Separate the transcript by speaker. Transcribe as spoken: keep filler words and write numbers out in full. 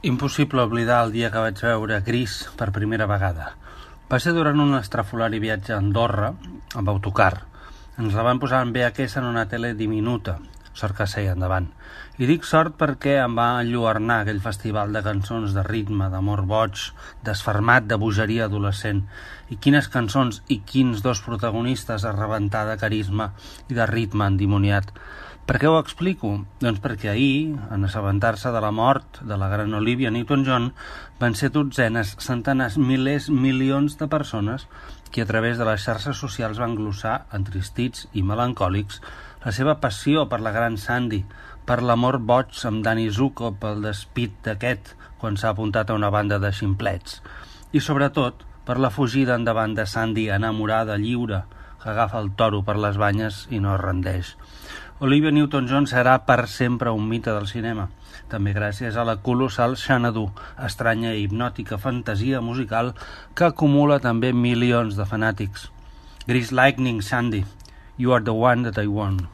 Speaker 1: Impossible oblidar el dia que vaig veure Gris per primera vegada. Va ser durant un estrafolari viatge a Andorra, amb autocar. Ens la van posar en V H S en una tele diminuta, sort que seia endavant. I dic sort perquè em va enlluernar aquell festival de cançons de ritme, d'amor boig, desfermat, de bogeria adolescent. I quines cançons i quins dos protagonistes a rebentar de carisma i de ritme endimoniat. Per què ho explico? Doncs perquè ahir, en assabentar-se de la mort de la gran Olivia Newton-John, van ser dotzenes, centenars, milers, milions de persones que a través de les xarxes socials van glossar, entristits i melancòlics, la seva passió per la gran Sandy, per l'amor boig amb Danny Zuko, pel despit d'aquest quan s'ha apuntat a una banda de ximplets. I sobretot, per la fugida endavant de Sandy enamorada, lliure, que agafa el toro per les banyes i no es rendeix. Olivia Newton-John serà per sempre un mite del cinema, també gràcies a la colossal Xanadu, estranya i hipnòtica fantasia musical que acumula també milions de fanàtics. Grease Lightning, Sandy, you are the one that I want.